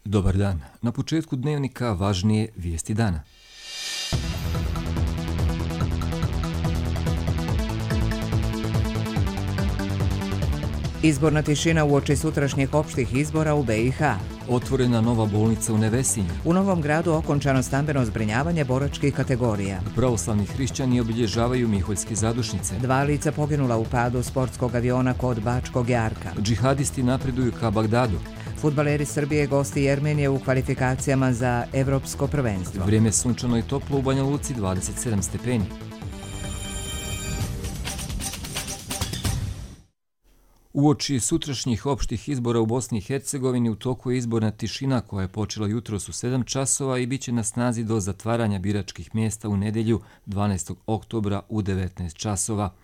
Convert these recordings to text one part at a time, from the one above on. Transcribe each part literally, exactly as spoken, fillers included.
Dobar dan. Na početku dnevnika važnije vijesti dana. Izborna tišina uoči sutrašnjih opštih izbora u be i ha. Otvorena nova bolnica u Nevesinju. U Novom Gradu okončano stambeno zbrinjavanje boračkih kategorija. Pravoslavni hrišćani obilježavaju Miholjske zadušnice. Dva lica poginula u padu sportskog aviona kod Bačkog Jarka. Džihadisti napreduju ka Bagdadu. Fudbaleri Srbije gosti Jermenije u kvalifikacijama za evropsko prvenstvo. Vrijeme sunčano i toplo u Banja Luci, dvadeset sedam stepeni. Uoči sutrašnjih opštih izbora u Bosni i Hercegovini u toku je izborna tišina koja je počela jutros u sedam časova i bit će na snazi do zatvaranja biračkih mjesta u nedjelju dvanaestog oktobra u devetnaest časova.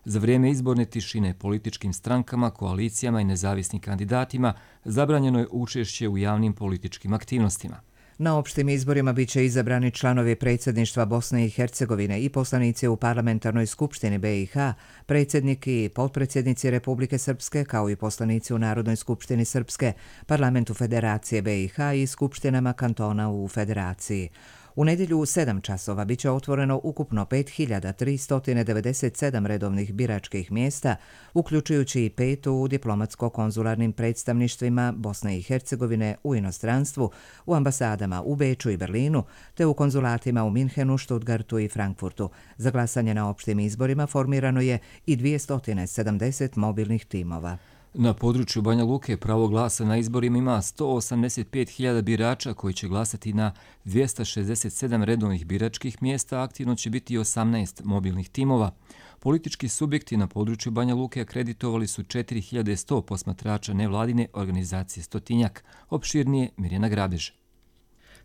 Za vrijeme izborne tišine političkim strankama, koalicijama i nezavisnim kandidatima zabranjeno je učešće u javnim političkim aktivnostima. Na opštim izborima bit će izabrani članovi predsjedništva Bosne i Hercegovine i poslanici u parlamentarnoj skupštini be i ha, predsjednik i potpredsjednici Republike Srpske, kao i poslanici u Narodnoj skupštini Srpske, parlamentu Federacije be i ha i skupštinama kantona u Federaciji. U nedjelju u sedam časova bit će otvoreno ukupno pet hiljada tristo devedeset sedam redovnih biračkih mjesta, uključujući i pet u diplomatsko-konzularnim predstavništvima Bosne i Hercegovine u inostranstvu, u ambasadama u Beču i Berlinu, te u konzulatima u Minhenu, Stuttgartu i Frankfurtu. Za glasanje na opštim izborima formirano je i dvjesto sedamdeset mobilnih timova. Na području Banja Luke pravo glasa na izborima ima sto osamdeset pet hiljada birača koji će glasati na dvjesto šezdeset sedam redovnih biračkih mjesta, aktivno će biti osamnaest mobilnih timova. Politički subjekti na području Banja Luke akreditovali su četiri hiljade sto posmatrača nevladine organizacije Stotinjak. Opširnije Mirjana Grabež.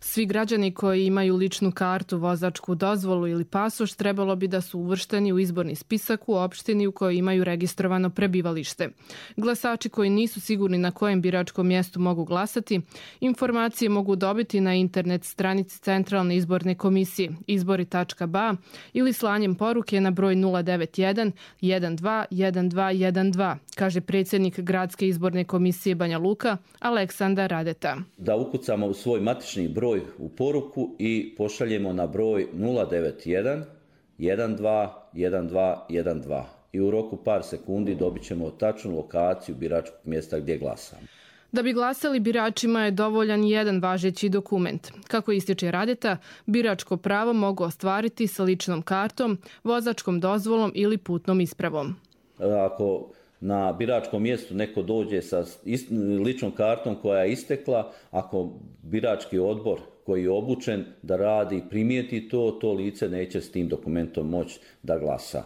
Svi građani koji imaju ličnu kartu, vozačku dozvolu ili pasoš trebalo bi da su uvršteni u izborni spisak u opštini u kojoj imaju registrovano prebivalište. Glasači koji nisu sigurni na kojem biračkom mjestu mogu glasati, informacije mogu dobiti na internet stranici Centralne izborne komisije izbori tačka ba ili slanjem poruke na broj nula devet jedan jedan dva jedan dva jedan dva, kaže predsjednik Gradske izborne komisije Banja Luka Aleksandar Radeta. Da ukucamo u svoj matični broj u poruku i pošaljemo na broj nula devet jedan jedan dva jedan dva jedan dva i u roku par sekundi dobit ćemo tačnu lokaciju biračkog mjesta gdje glasamo. Da bi glasali biračima je dovoljan jedan važeći dokument. Kako ističe Radeta, biračko pravo mogu ostvariti sa ličnom kartom, vozačkom dozvolom ili putnom ispravom. Ako na biračkom mjestu neko dođe sa ličnom kartom koja je istekla, ako birački odbor koji je obučen da radi primijeti to, to lice neće s tim dokumentom moći da glasa.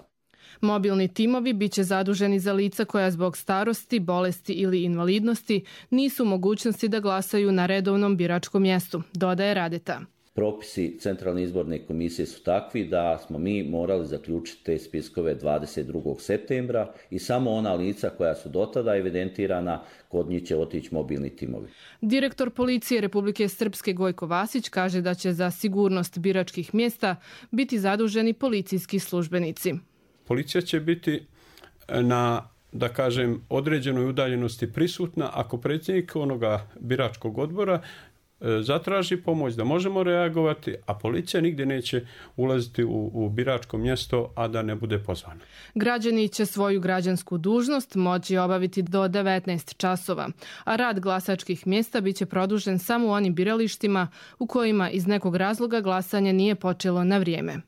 Mobilni timovi bit će zaduženi za lica koja zbog starosti, bolesti ili invalidnosti nisu u mogućnosti da glasaju na redovnom biračkom mjestu, dodaje Radeta. Propisi Centralne izborne komisije su takvi da smo mi morali zaključiti te spiskove dvadeset drugog septembra i samo ona lica koja su dotada evidentirana, kod njih će otići mobilni timovi. Direktor policije Republike Srpske Gojko Vasić kaže da će za sigurnost biračkih mjesta biti zaduženi policijski službenici. Policija će biti na, da kažem, određenoj udaljenosti prisutna ako predsjednik onoga biračkog odbora zatraži pomoć da možemo reagovati, a policija nigdje neće ulaziti u, u biračko mjesto, a da ne bude pozvana. Građani će svoju građansku dužnost moći obaviti do devetnaest časova, a rad glasačkih mjesta biće produžen samo u onim biralištima u kojima iz nekog razloga glasanje nije počelo na vrijeme.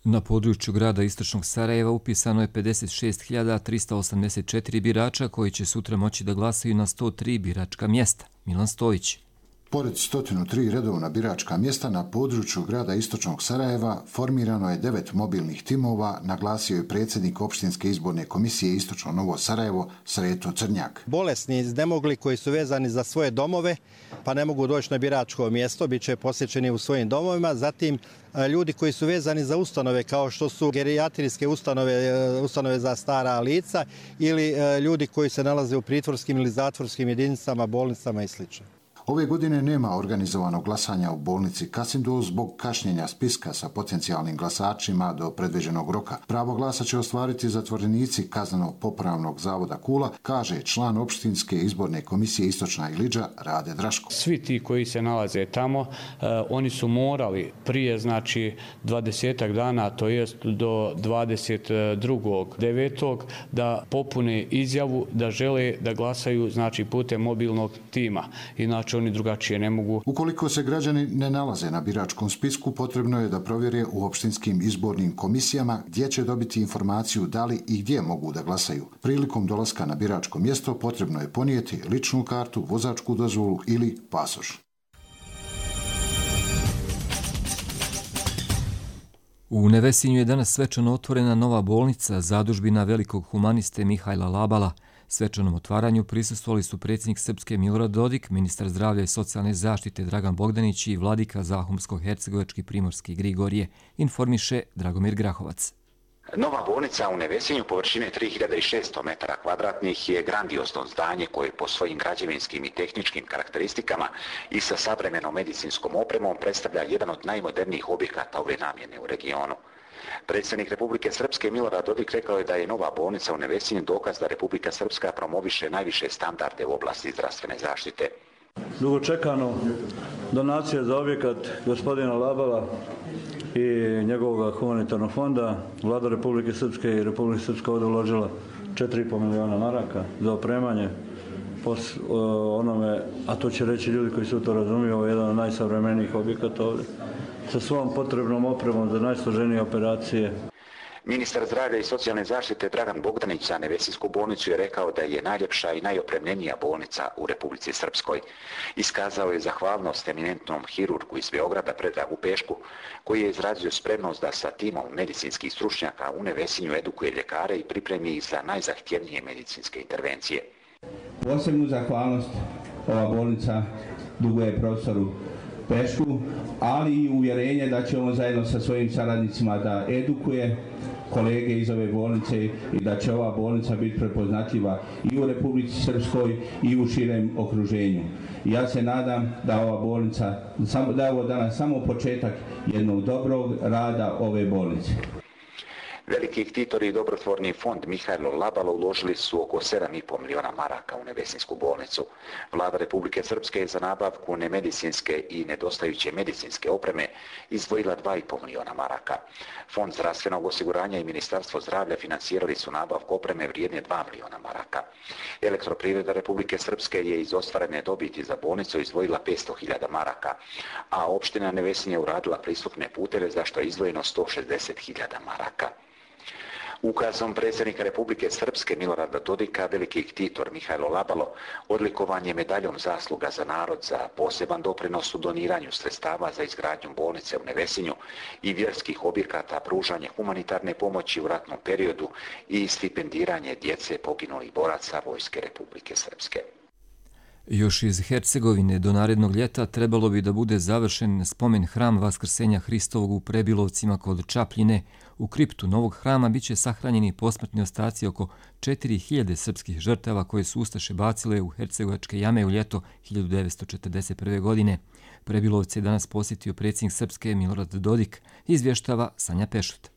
Na području grada Istočnog Sarajeva upisano je pedeset šest hiljada tristo osamdeset četiri birača koji će sutra moći da glasaju na sto tri biračka mjesta. Milan Stojić. Pored sto tri redovna biračka mjesta na području grada Istočnog Sarajeva formirano je devet mobilnih timova, naglasio je predsjednik opštinske izborne komisije Istočno Novo Sarajevo Sreto Crnjak. Bolesni, nemogli koji su vezani za svoje domove, pa ne mogu doći na biračko mjesto, bit će posjećeni u svojim domovima. Zatim ljudi koji su vezani za ustanove kao što su gerijatrijske ustanove, ustanove za stara lica ili ljudi koji se nalaze u pritvorskim ili zatvorskim jedinicama, bolnicama i sl. Ove godine nema organizovanog glasanja u bolnici Kasindul zbog kašnjenja spiska sa potencijalnim glasačima do predviđenog roka. Pravo glasa će ostvariti zatvorenici Kaznenog popravnog zavoda Kula, kaže član opštinske izborne komisije Istočna Iliđa Rade Draško. Svi ti koji se nalaze tamo, uh, oni su morali prije znači dvadesetak dana, to jest do dvadeset drugog devetog da popune izjavu da žele da glasaju znači putem mobilnog tima. Inače oni drugačije ne mogu. Ukoliko se građani ne nalaze na biračkom spisku, potrebno je da provjere u opštinskim izbornim komisijama gdje će dobiti informaciju da li i gdje mogu da glasaju. Prilikom dolaska na biračko mjesto potrebno je ponijeti ličnu kartu, vozačku dozvolu ili pasoš. U Nevesinju je danas svečano otvorena nova bolnica zadužbina velikog humaniste Mihajla Labala. Svečanom otvaranju prisustvovali su predsjednik Srpske Milorad Dodik, ministar zdravlja i socijalne zaštite Dragan Bogdanić i vladika Zahumsko-hercegovački Primorski Grigorije, informiše Dragomir Grahovac. Nova bolnica u Nevesinju površine tri hiljade šesto metara kvadratnih je grandiozno zdanje koje po svojim građevinskim i tehničkim karakteristikama i sa savremenom medicinskom opremom predstavlja jedan od najmodernijih objekata ove namjene u regionu. Predsjednik Republike Srpske Milorad Dodik rekao je da je nova bolnica u Nevesinju dokaz da Republika Srpska promoviše najviše standarde u oblasti zdravstvene zaštite. Dugo čekano donacije za objekat gospodina Labala i njegovog humanitarnog fonda, Vlada Republike Srpske i Republike Srpska ovdje uložila četiri i pol miliona maraka za opremanje pos, onome, a to će reći ljudi koji su to razumiju, ovo je jedan od najsavremenijih objekata ovdje, sa svom potrebnom opremom za najsloženije operacije. Ministar zdravlja i socijalne zaštite Dragan Bogdanić za Nevesinsku bolnicu je rekao da je najljepša i najopremljenija bolnica u Republici Srpskoj. Iskazao je zahvalnost eminentnom hirurgu iz Beograda Predragu Pešku, koji je izrazio spremnost da sa timom medicinskih stručnjaka u Nevesinju edukuje ljekare i pripremi ih za najzahtjevnije medicinske intervencije. Posebnu zahvalnost ova bolnica duguje profesoru Pešku, ali i uvjerenje da će on zajedno sa svojim saradnicima da edukuje kolege iz ove bolnice i da će ova bolnica biti prepoznatljiva i u Republici Srpskoj i u širem okruženju. Ja se nadam da ova bolnica, da je ovo danas samo početak jednog dobrog rada ove bolnice. Veliki ktitori i dobrotvorni fond Mihajlo Labalo uložili su oko sedam i pol miliona maraka u Nevesinsku bolnicu. Vlada Republike Srpske je za nabavku nemedicinske i nedostajuće medicinske opreme izdvojila dva i pol miliona maraka. Fond zdravstvenog osiguranja i Ministarstvo zdravlja financirali su nabavku opreme vrijedne dva miliona maraka. Elektroprivreda Republike Srpske je iz ostvarene dobiti za bolnicu izdvojila petsto hiljada maraka, a opština Nevesinje uradila pristupne puteve za što je izdvojeno sto šezdeset hiljada maraka. Ukazom predsjednika Republike Srpske Milorada Dodika veliki ktitor Mihajlo Labalo odlikovan je medaljom zasluga za narod za poseban doprinos u doniranju sredstava za izgradnju bolnice u Nevesinju i vjerskih objekata, pružanje humanitarne pomoći u ratnom periodu i stipendiranje djece poginulih boraca Vojske Republike Srpske. Još iz Hercegovine do narednog ljeta trebalo bi da bude završen spomen hram Vaskrsenja Hristovog u Prebilovcima kod Čapljine. U kriptu novog hrama biće sahranjeni posmrtni ostaci oko četiri hiljade srpskih žrtava koje su ustaše bacile u hercegovačke jame u ljeto hiljadu devetsto četrdeset prve. godine. Prebilovce je danas posjetio predsjednik Srpske Milorad Dodik, izvještava Sanja Pešut.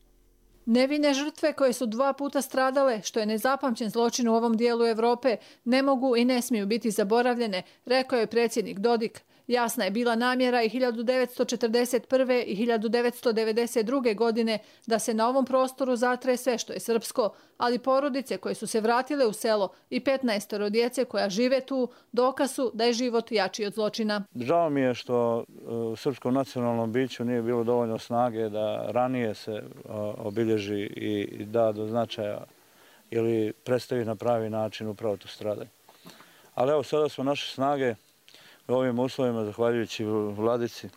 Nevine žrtve koje su dva puta stradale, što je nezapamćen zločin u ovom dijelu Evrope, ne mogu i ne smiju biti zaboravljene, rekao je predsjednik Dodik. Jasna je bila namjera i hiljadu devetsto četrdeset prve. i hiljadu devetsto devedeset druge. godine da se na ovom prostoru zatre sve što je srpsko, ali porodice koje su se vratile u selo i petnaestoro djece koja žive tu dokaz su da je život jači od zločina. Žao mi je što u srpskom nacionalnom biću nije bilo dovoljno snage da ranije se obilježi i da do značaja ili predstavi na pravi način upravo to stradanje. Ali evo sada smo naše snage u ovim uslovima, zahvaljujući vladici,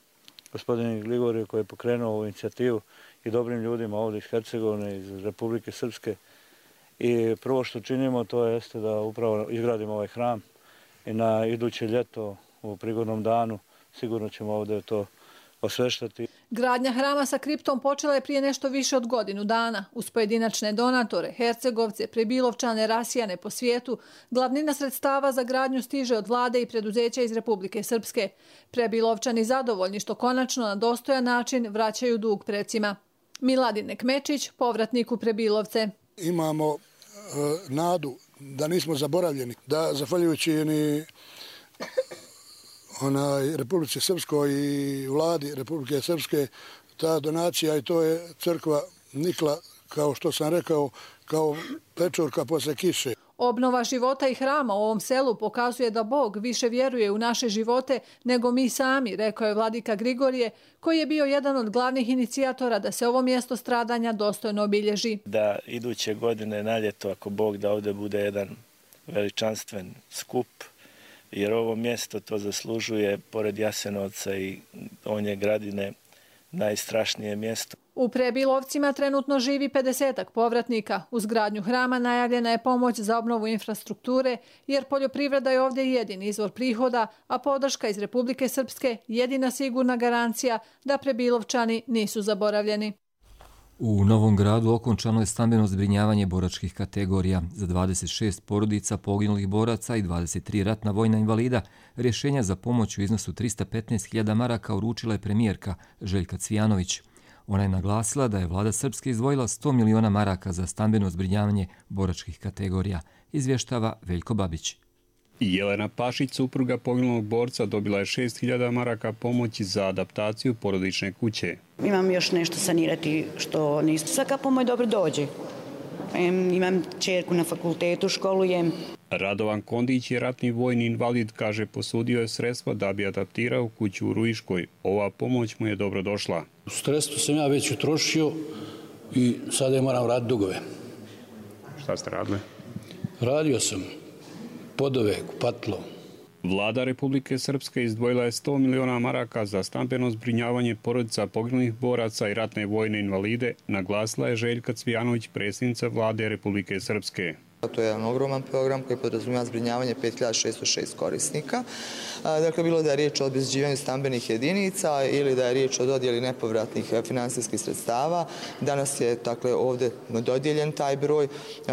gospodinu Grigoriju koji je pokrenuo ovu inicijativu i dobrim ljudima ovdje iz Hercegovine, iz Republike Srpske. I prvo što činimo to jeste da upravo izgradimo ovaj hram i na iduće ljeto u prigodnom danu sigurno ćemo ovdje to osveštati. Gradnja hrama sa kriptom počela je prije nešto više od godinu dana. Uz pojedinačne donatore, Hercegovce, Prebilovčane, rasijane po svijetu, glavnina sredstava za gradnju stiže od vlade i preduzeća iz Republike Srpske. Prebilovčani zadovoljni što konačno na dostojan način vraćaju dug precima. Miladin Kmečić, povratnik u Prebilovce. Imamo e, nadu da nismo zaboravljeni, da zahvaljujući ni onaj Republike Srpskoj i vladi Republike Srpske ta donacija i to je crkva nikla, kao što sam rekao, kao pečurka posle kiše. Obnova života i hrama u ovom selu pokazuje da Bog više vjeruje u naše živote nego mi sami, rekao je vladika Grigorije, koji je bio jedan od glavnih inicijatora da se ovo mjesto stradanja dostojno obilježi. Da iduće godine na ljeto, ako Bog da ovdje bude jedan veličanstven skup, jer ovo mjesto to zaslužuje, pored Jasenovca i Donje Gradine, najstrašnije mjesto. U Prebilovcima trenutno živi pedesetak povratnika. Uz gradnju hrama najavljena je pomoć za obnovu infrastrukture, jer poljoprivreda je ovdje jedini izvor prihoda, a podrška iz Republike Srpske jedina sigurna garancija da Prebilovčani nisu zaboravljeni. U Novom Gradu okončano je stambeno zbrinjavanje boračkih kategorija. Za dvadeset šest porodica poginulih boraca i dvadeset tri ratna vojna invalida rješenja za pomoć u iznosu trista petnaest hiljada maraka uručila je premijerka Željka Cvijanović. Ona je naglasila da je vlada Srpske izdvojila sto miliona maraka za stambeno zbrinjavanje boračkih kategorija, izvještava Veljko Babić. Jelena Pašić, supruga poginulog borca, dobila je šest hiljada maraka pomoći za adaptaciju porodične kuće. Imam još nešto sanirati što nisu. Svaka pomoć dobro dođe. Imam čerku na fakultetu, školujem. Radovan Kondić je ratni vojni invalid, kaže, posudio je sredstva da bi adaptirao kuću u Ruiškoj. Ova pomoć mu je dobro došla. Sredstvo sam ja već utrošio i sada je moram raditi dugove. Šta ste radili? Radio sam podove, kupatilo. Vlada Republike Srpske izdvojila je sto miliona maraka za stambeno zbrinjavanje porodica poginulih boraca i ratne vojne invalide, naglasila je Željka Cvijanović, predsjednica vlade Republike Srpske. To je jedan ogroman program koji podrazumijeva zbrinjavanje pet hiljada šesto šest korisnika. Dakle, bilo da je riječ o obezbeđivanju stambenih jedinica ili da je riječ o dodjeli nepovratnih finansijskih sredstava. Danas je dakle, ovdje dodijeljen taj broj,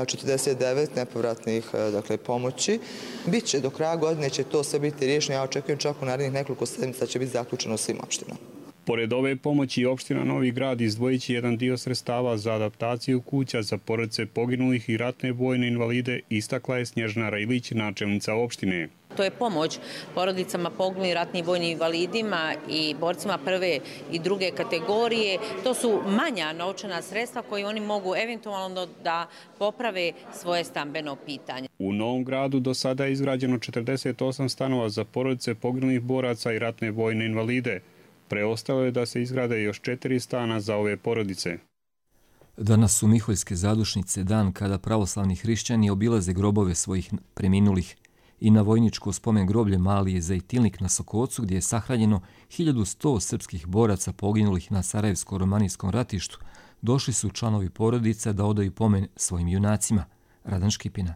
četrdeset devet nepovratnih dakle, pomoći. Biće do kraja godine će to sve biti riješeno. Ja očekujem čak u narednih nekoliko sedmica će biti zaključeno svim opštinama. Pored ove pomoći, opština Novi Grad izdvojit će jedan dio sredstava za adaptaciju kuća za porodice poginulih i ratne vojne invalide, istakla je Snježana Rajlić, načelnica opštine. To je pomoć porodicama poginulih ratnim vojnim invalidima i borcima prve i druge kategorije. To su manja novčana sredstva koje oni mogu eventualno da poprave svoje stambeno pitanje. U Novom Gradu do sada je izgrađeno četrdeset osam stanova za porodice poginulih boraca i ratne vojne invalide. Preostalo je da se izgrade još četiri stana za ove porodice. Danas su Miholjske zadušnice, dan kada pravoslavni hrišćani obilaze grobove svojih preminulih. I na vojničko spomen groblje Mali Zajtilnik na Sokocu, gdje je sahranjeno hiljadu sto srpskih boraca poginulih na Sarajevsko-romanijskom ratištu, došli su članovi porodica da odaju pomen svojim junacima. Radan Škipina.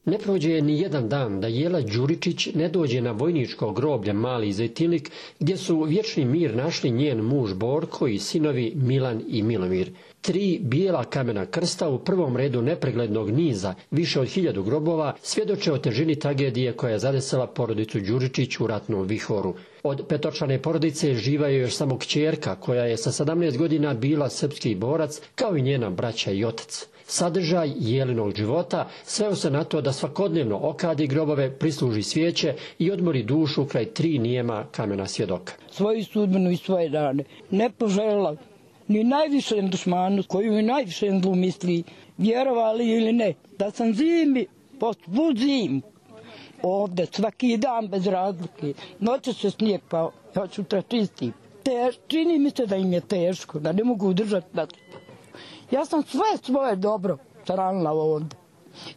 Ne prođe ni jedan dan da Jela Đuričić ne dođe na vojničko groblje Mali Zajtilnik, gdje su vječni mir našli njen muž Borko i sinovi Milan i Milomir. Tri bijela kamena krsta u prvom redu nepreglednog niza, više od hiljadu grobova, svjedoče o težini tragedije koja je zadesila porodicu Đuričić u ratnom vihoru. Od petočlane porodice živa je još samo kćerka, koja je sa sedamnaest godina bila srpski borac, kao i njena braća i otac. Sadržaj Jelinog života sveo se na to da svakodnevno okadi grobove, prisluži svijeće i odmori dušu kraj tri nijema kamena svjedoka. Svoju sudbinu i svoje dane ne poželjela ni najvišem dušmanu koju i najvišem zlu misli, vjerovali ili ne, da sam zimi, postvud zim, ovdje svaki dan bez razlike, noće se snijeg pa hoću tračisti. Čini mi se da im je teško, da ne mogu udržati da. Ja sam sve svoje dobro saranila ovdje.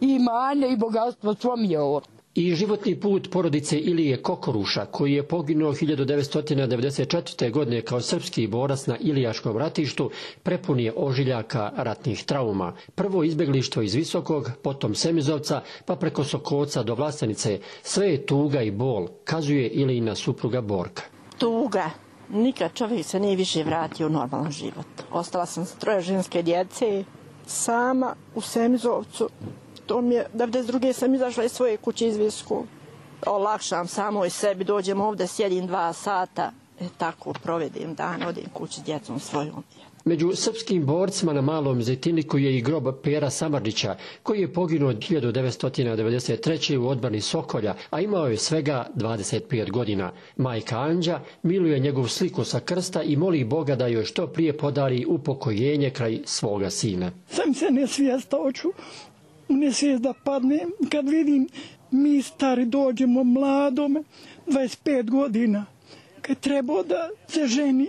I imanje i bogatstvo svo mi je ovdje. I životni put porodice Ilije Kokoruša, koji je poginuo hiljadu devetsto devedeset četvrte. godine kao srpski borac na Ilijaškom ratištu, prepun je ožiljaka ratnih trauma. Prvo izbjeglištvo iz Visokog, potom Semizovca, pa preko Sokoca do Vlastenice. Sve je tuga i bol, kazuje Ilijina supruga Borka. Tuga, Nikad čovjek se nije više vratio u normalan život. Ostala sam sa troje ženske djece, sama u Semizovcu. To mi je, devedeset druge sam izašla iz svoje kuće iz Visku. Olakšam samo i sebi, dođem ovdje, sjedim dva sata, e, tako provedim dan, odem kući s djecom svojom. Među srpskim borcima na Malom Zejtinliku je i grob Pera Samardžića, koji je poginuo hiljadu devetsto devedeset treće. u odbrani Sokolja, a imao je svega dvadeset pet godina. Majka Anđa miluje njegovu sliku sa krsta i moli Boga da joj što prije podari upokojenje kraj svoga sina. Sam se ne svijesta hoću, ne svijest da padnem kad vidim mi stari dođemo mladome, dvadeset pet godina, kad treba da se ženi.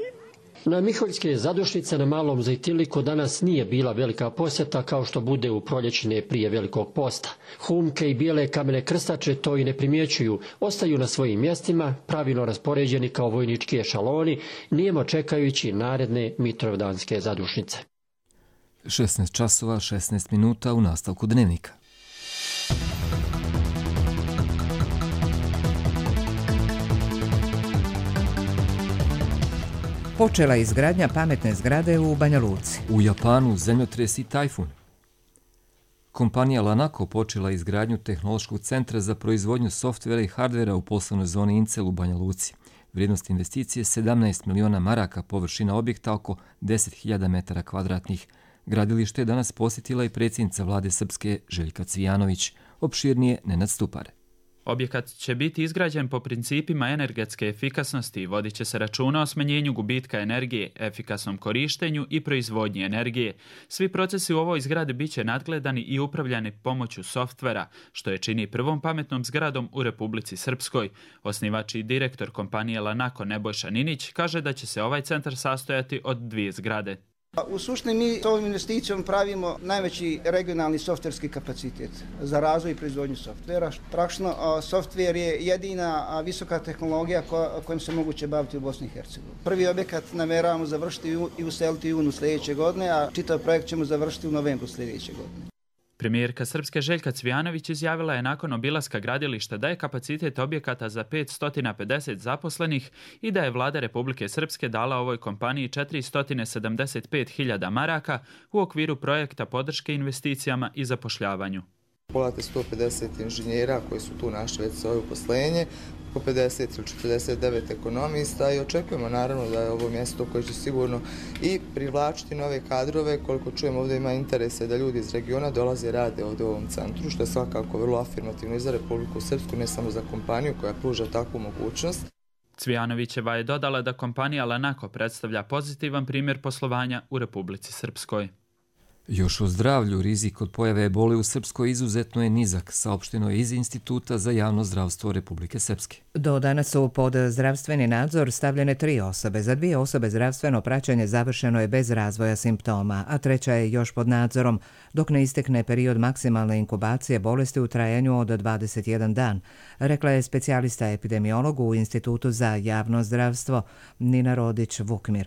Na Miholjske zadušnice na Malom Zejtinliku danas nije bila velika posjeta kao što bude u proljećine prije Velikog posta. Humke i bijele kamene krstače to i ne primjećuju, ostaju na svojim mjestima, pravilno raspoređeni kao vojnički ešaloni, nijemo čekajući naredne mitrovdanske zadušnice. šesnaest časova, šesnaest minuta u nastavku dnevnika. Počela izgradnja pametne zgrade u Banja Luci. U Japanu zemljotres i tajfun. Kompanija Lanako počela izgradnju tehnološkog centra za proizvodnju softvera i hardvera u poslovnoj zoni Incel u Banja Luci. Vrijednost investicije je sedamnaest miliona maraka, površina objekta oko deset hiljada metara kvadratnih. Gradilište je danas posjetila i predsjednica vlade Srpske Željka Cvijanović. Opširnije Nenad Stupare. Objekat će biti izgrađen po principima energetske efikasnosti i vodit će se računa o smanjenju gubitka energije, efikasnom korištenju i proizvodnji energije. Svi procesi u ovoj zgradi bit će nadgledani i upravljani pomoću softvera, što je čini prvom pametnom zgradom u Republici Srpskoj. Osnivač i direktor kompanije Lanako Nebojša Ninić kaže da će se ovaj centar sastojati od dvije zgrade. U suštini mi s ovom investicijom pravimo najveći regionalni softverski kapacitet za razvoj i proizvodnju softvera. Praktično softver je jedina visoka tehnologija kojom se moguće baviti u Bosni i Hercegovini. Prvi objekat namjeravamo završiti i useliti u junu sljedeće godine, a čitav projekt ćemo završiti u novembru sljedeće godine. Premijerka Srpske Željka Cvijanović izjavila je nakon obilaska gradilišta da je kapacitet objekata za petsto pedeset zaposlenih i da je vlada Republike Srpske dala ovoj kompaniji četiristo sedamdeset pet hiljada maraka u okviru projekta podrške investicijama i zapošljavanju. Pogledajte sto pedeset inženjera koji su tu našli već svoje uposlenje, oko pedeset ili četrdeset devet ekonomista i očekujemo naravno da je ovo mjesto koje će sigurno i privlačiti nove kadrove. Koliko čujem, ovdje ima interese da ljudi iz regiona dolaze i rade ovdje u ovom centru, što je svakako vrlo afirmativno i za Republiku Srpsku, ne samo za kompaniju koja pruža takvu mogućnost. Cvijanovićeva je dodala da kompanija Lanako predstavlja pozitivan primjer poslovanja u Republici Srpskoj. Još o zdravlju, rizik od pojave ebole u Srpskoj izuzetno je nizak, saopšteno je iz Instituta za javno zdravstvo Republike Srpske. Do danas su pod zdravstveni nadzor stavljene tri osobe. Za dvije osobe zdravstveno praćenje završeno je bez razvoja simptoma, a treća je još pod nadzorom, dok ne istekne period maksimalne inkubacije bolesti u trajanju od dvadeset jedan dan, rekla je specijalista epidemiologu u Institutu za javno zdravstvo Nina Rodić-Vukmir.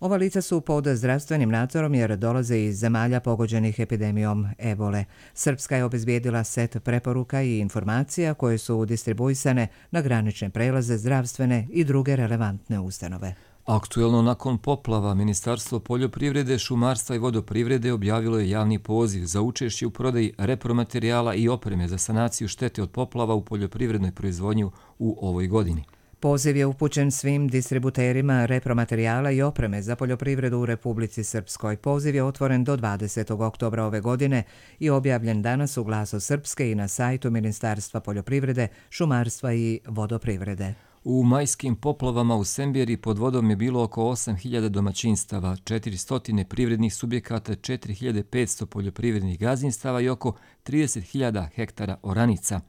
Ova lica su pod zdravstvenim nadzorom jer dolaze iz zemalja pogođenih epidemijom ebole. Srpska je obezbijedila set preporuka i informacija koje su distribuisane na granične prelaze, zdravstvene i druge relevantne ustanove. Aktuelno nakon poplava, Ministarstvo poljoprivrede, šumarstva i vodoprivrede objavilo je javni poziv za učešće u prodaji repromaterijala i opreme za sanaciju štete od poplava u poljoprivrednoj proizvodnji u ovoj godini. Poziv je upućen svim distributerima repromaterijala i opreme za poljoprivredu u Republici Srpskoj. Poziv je otvoren do dvadesetog oktobra ove godine i objavljen danas u Glasu Srpske i na sajtu Ministarstva poljoprivrede, šumarstva i vodoprivrede. U majskim poplavama u Semberi pod vodom je bilo oko osam hiljada domaćinstava, četiristo privrednih subjekata, četiri hiljade petsto poljoprivrednih gazdinstava i oko trideset hiljada hektara oranica.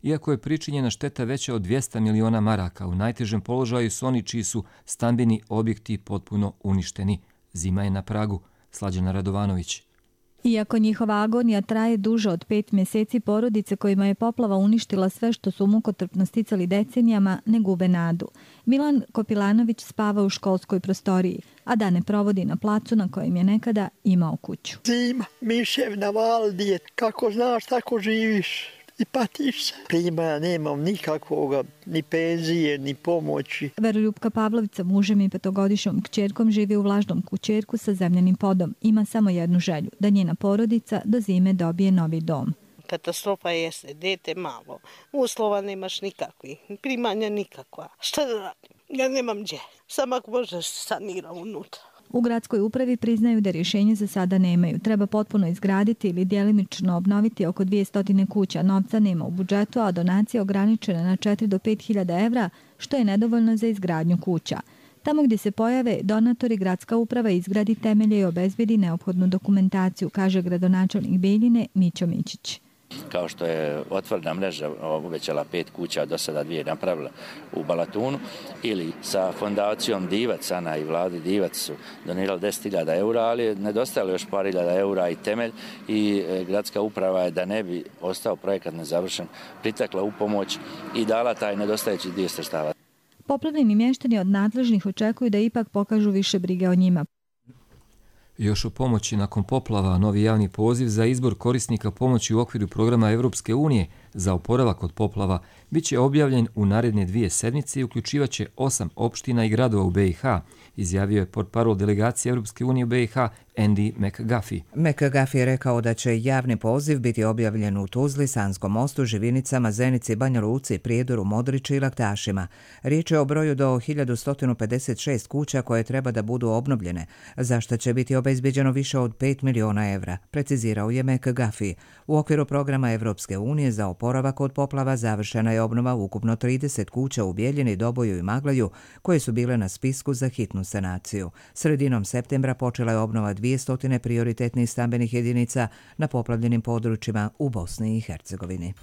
Iako je pričinjena šteta veća od dvjesto miliona maraka, u najtežem položaju su oni čiji su stambeni objekti potpuno uništeni. Zima je na pragu. Slađana Radovanović. Iako njihova agonija traje duže od pet mjeseci, porodice kojima je poplava uništila sve što su mukotrpno sticali decenijama ne gube nadu. Milan Kopilanović spava u školskoj prostoriji, a dane provodi na placu na kojem je nekada imao kuću. Zima, mišev na val, djet, kako znaš, tako živiš. i patiš se. Primanja nemam nikakvoga, ni penzije, ni pomoći. Veroljupka Pavlović sa mužem i petogodišnjom kćerkom živi u vlažnom kućerku sa zemljanim podom. Ima samo jednu želju, da njena porodica do zime dobije novi dom. Katastrofa jeste, dete malo, uslova nemaš nikakvih, primanja nikakva. Šta da radim? Ja nemam gdje, samo ako može se sanira unutra. U gradskoj upravi priznaju da rješenje za sada nemaju. Treba potpuno izgraditi ili djelimično obnoviti oko dvjesto kuća. Novca nema u budžetu, a donacija ograničena na četiri do pet hiljada evra, što je nedovoljno za izgradnju kuća. Tamo gdje se pojave donatori, gradska uprava izgradi temelje i obezbedi neophodnu dokumentaciju, kaže gradonačelnik Bijeljine Mićo Mićić. Kao što je otvorena mreža uvećala pet kuća, do sada dvije napravila u Balatunu, ili sa fondacijom Divac, Ana i vladi Divac su donirali deset hiljada eura, ali je nedostajalo još par hiljada eura i temelj i gradska uprava je, da ne bi ostao projekat nezavršen, pritekla u pomoć i dala taj nedostajući dio sredstava. Poplavljeni mještani od nadležnih očekuju da ipak pokažu više brige o njima. Još o pomoći nakon poplava, novi javni poziv za izbor korisnika pomoći u okviru programa Evropske unije za oporavak od poplava biće objavljen u naredne dvije sedmice i uključivaće osam opština i gradova u B i H, izjavio je portparol delegacije Evropske unije u B i H Andy McGuffey. McGuffey je rekao da će javni poziv biti objavljen u Tuzli, Sanskom mostu, Živinicama, Zenici, Banja Luci, Prijedoru, Modriči i Laktašima. Riječ je o broju do hiljadu sto pedeset šest kuća koje treba da budu obnovljene, za što će biti obezbeđeno više od pet miliona evra, precizirao je McGuffey. U okviru programa Evropske unije za oporavak od poplava završena je obnova ukupno trideset kuća u Bijeljini, Doboju i Maglaju, koje su bile na spisku za hitnu sanaciju. Sredinom septembra počela je obnova dvjesto prioritetnih stambenih jedinica na poplavljenim područjima u Bosni i Hercegovini.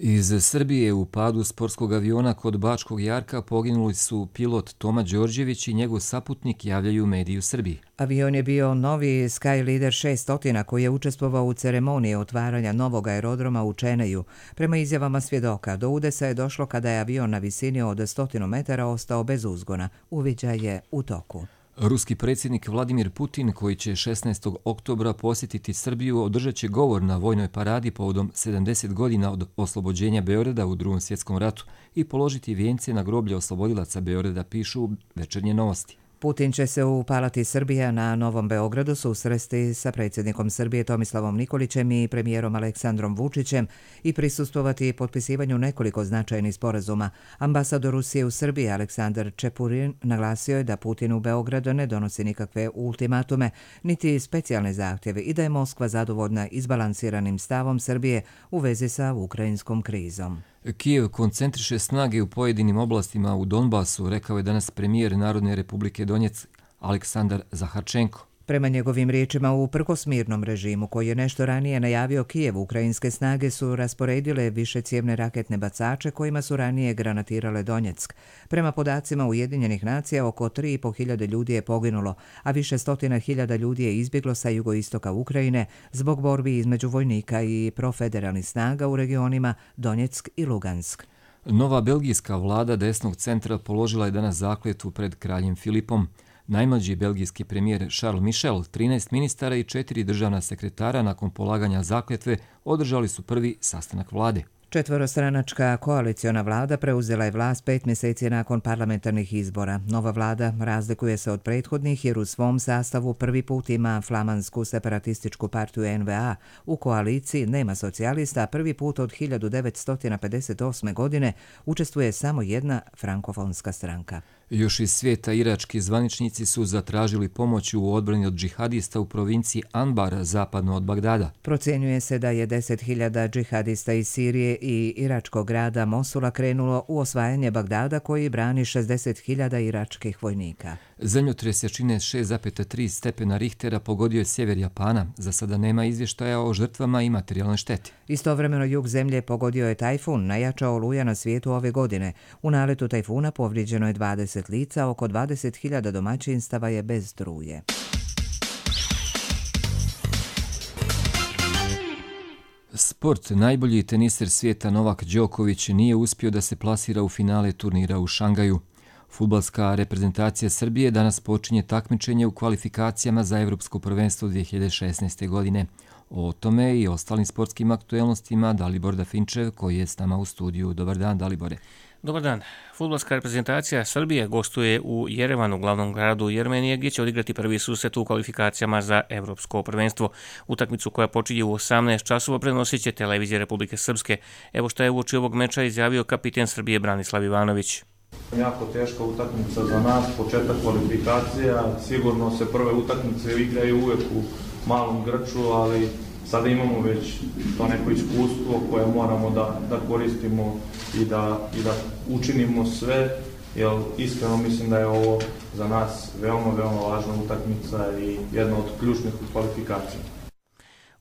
Iz Srbije u padu sportskog aviona kod Bačkog Jarka poginuli su pilot Toma Đorđević i njegov saputnik, javljaju mediji u Srbiji. Avion je bio novi Sky Leader šeststo koji je učestvovao u ceremoniji otvaranja novog aerodroma u Čeneju. Prema izjavama svjedoka, do udesa je došlo kada je avion na visini od sto metara ostao bez uzgona. Uviđaj je u toku. Ruski predsjednik Vladimir Putin, koji će šesnaestog oktobra posjetiti Srbiju, održat će govor na vojnoj paradi povodom sedamdeset godina od oslobođenja Beograda u Drugom svjetskom ratu i položiti vijence na groblje oslobodilaca Beograda, pišu Večernje novosti. Putin će se u Palati Srbija na Novom Beogradu susresti sa predsjednikom Srbije Tomislavom Nikolićem i premijerom Aleksandrom Vučićem i prisustvovati potpisivanju nekoliko značajnih sporazuma. Ambasador Rusije u Srbiji Aleksandar Čepurin naglasio je da Putin u Beogradu ne donosi nikakve ultimatume, niti specijalne zahtjeve i da je Moskva zadovoljna izbalansiranim stavom Srbije u vezi sa ukrajinskom krizom. Kijev koncentriše snage u pojedinim oblastima u Donbasu, rekao je danas premijer Narodne republike Donjeck Aleksandar Zaharčenko. Prema njegovim riječima, uprkos mirnom režimu koji je nešto ranije najavio Kijev, ukrajinske snage su rasporedile višecjevne raketne bacače kojima su ranije granatirale Donjeck. Prema podacima Ujedinjenih nacija, oko tri i po hiljade ljudi je poginulo, a više stotina hiljada ljudi je izbjeglo sa jugoistoka Ukrajine zbog borbi između vojnika i profederalnih snaga u regionima Donjeck i Lugansk. Nova belgijska vlada desnog centra položila je danas zakletvu pred kraljem Filipom. Najmlađi belgijski premijer Charles Michel, trinaest ministara i četiri državna sekretara nakon polaganja zakletve održali su prvi sastanak vlade. Četvorostranačka koaliciona vlada preuzela je vlast pet mjeseci nakon parlamentarnih izbora. Nova vlada razlikuje se od prethodnih jer u svom sastavu prvi put ima flamansku separatističku partiju N V A. U koaliciji nema socijalista, a prvi put od hiljadu devetsto pedeset osme. godine učestvuje samo jedna frankofonska stranka. Još iz svijeta irački zvaničnici su zatražili pomoć u odbrani od džihadista u provinciji Anbar, zapadno od Bagdada. Procjenjuje se da je deset hiljada džihadista iz Sirije i iračkog grada Mosula krenulo u osvajanje Bagdada koji brani šezdeset hiljada iračkih vojnika. Zemljotres jačine šest zarez tri stepena Richtera pogodio je sjever Japana. Za sada nema izvještaja o žrtvama i materijalnoj šteti. Istovremeno jug zemlje pogodio je tajfun, najjača oluja na svijetu ove godine. U naletu tajfuna povrijeđeno je dvadeset lica, oko dvadeset hiljada domaćinstava je bez struje. Sport. Najbolji teniser svijeta Novak Đoković nije uspio da se plasira u finale turnira u Šangaju. Fudbalska reprezentacija Srbije danas počinje takmičenje u kvalifikacijama za Evropsko prvenstvo dvije hiljade šesnaeste. godine. O tome i ostalim sportskim aktuelnostima Dalibor Dafinčev koji je s nama u studiju. Dobar dan, Dalibore. Dobar dan. Fudbalska reprezentacija Srbije gostuje u Jerevanu, glavnom gradu Jermenije, gdje će odigrati prvi susret u kvalifikacijama za Evropsko prvenstvo. Utakmicu koja počinje u osamnaest časova prenosit će televizija Republike Srpske. Evo što je uoči ovog meča izjavio kapiten Srbije Branislav Ivanović. Jako teška utakmica za nas, početak kvalifikacija. Sigurno se prve utakmice igraju uvijek u malom grču, ali sada imamo već to neko iskustvo koje moramo da, da koristimo i da, i da učinimo sve, jer iskreno mislim da je ovo za nas veoma, veoma važna utakmica i jedna od ključnih kvalifikacija.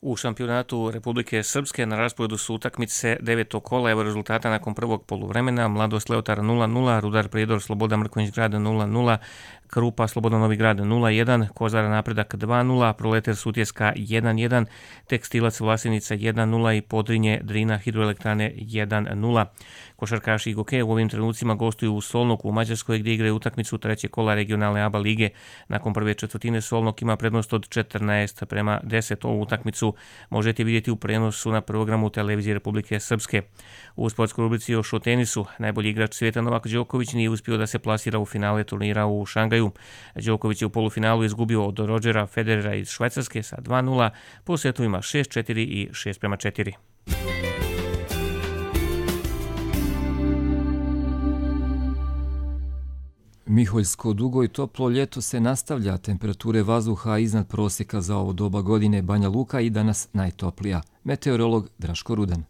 U šampionatu Republike Srpske na rasporedu su utakmice devetog kola. Evo rezultata nakon prvog poluvremena. Mladost Leotar nula nula, Rudar Prijedor Sloboda Mrkonjić Grada nula nula, Krupa Sloboda Novi Grad nula jedan, Kozara Napredak dva nula, Proleter Sutjeska jedan jedan, Tekstilac Vlasenica jedan nula i Podrinje Drina Hidroelektrane jedan nula. Košarkaši Igoke u ovim trenucima gostuju u Solnoku u Mađarskoj gdje igraju utakmicu treće kola regionalne A B A lige. Nakon prve četvrtine Solnok ima prednost od četrnaest prema deset. Ovu utakmicu možete vidjeti u prenosu na programu televizije Republike Srpske. U sportskoj rubrici još o tenisu. Najbolji igrač svijeta Novak Đoković nije uspio da se plasira u finale turnira u Šangaju. Đoković je u polufinalu izgubio od Rodgera Federera iz Švajcarske sa dva nula, po setovima šest četiri i šest prema četiri. Miholjsko dugo i toplo ljeto se nastavlja, temperature vazduha iznad prosjeka za ovo doba godine. Banja Luka i danas najtoplija. Meteorolog Draško Rudan.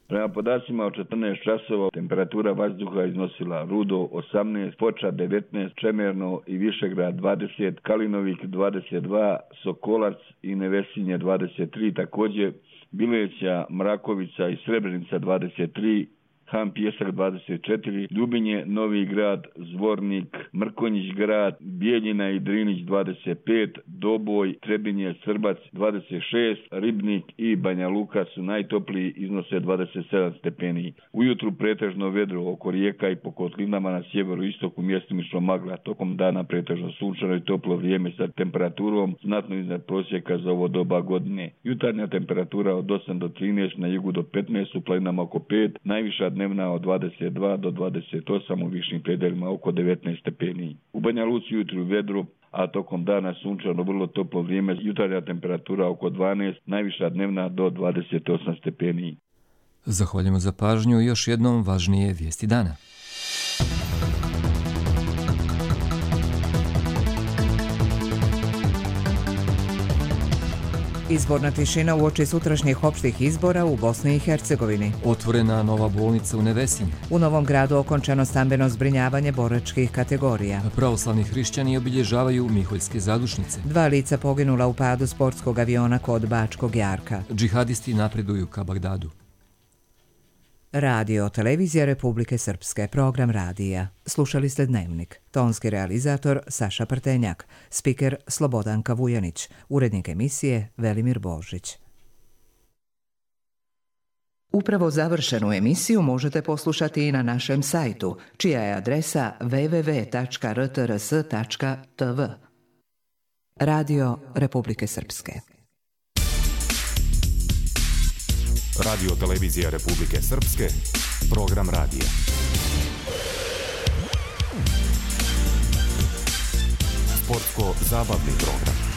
Prema podacima od četrnaest časova temperatura vazduha iznosila Rudo osamnaest, Foča devetnaest, Čemerno i Višegrad dvadeset, Kalinovik dvadeset dva, Sokolac i Nevesinje dvadeset tri, također Bileća, Mrakovica i Srebrenica dvadeset tri, Han Pjesak dvadeset četiri, Ljubinje, Novi Grad, Zvornik, Mrkonjić Grad, Bijeljina i Drinić dvadeset pet, Doboj, Trebinje, Srbac dvadeset šest, Ribnik i Banja Luka su najtopliji, iznose dvadeset sedam stepeni. Ujutru pretežno vedro oko rijeka i po kotlinama na sjeveru istoku mjestimično magla, tokom dana pretežno sunčano i toplo vrijeme sa temperaturom znatno iznad prosjeka za ovo doba godine. Jutarnja temperatura od osam do trinaest, na jugu do petnaest, u planinama oko pet, najviša dnevna od dvadeset dva do dvadeset osam, u višim predelima oko devetnaest stepeni. U Banja Luci jutru vedro, a tokom dana sunčano vrlo toplo vrijeme, jutarnja temperatura oko dvanaest, najviša dnevna do dvadeset osam stepeni. Zahvaljujemo za pažnju i još jednom važnije vijesti dana. Izborna tišina uoči sutrašnjih opštih izbora u Bosni i Hercegovini. Otvorena nova bolnica u Nevesinju. U Novom Gradu okončano stambeno zbrinjavanje boračkih kategorija. Pravoslavni hrišćani obilježavaju Miholjske zadušnice. Dva lica poginula u padu sportskog aviona kod Bačkog Jarka. Džihadisti napreduju ka Bagdadu. Radio, televizija Republike Srpske, program radija. Slušali ste Dnevnik. Tonski realizator Saša Prtenjak, spiker Slobodanka Vujanić, urednik emisije Velimir Božić. Upravo završenu emisiju možete poslušati i na našem sajtu, čija je adresa w w w tačka r t r s tačka t v. Radio Republike Srpske. Radio televizija Republike Srpske, program radija. Sportsko-zabavni program.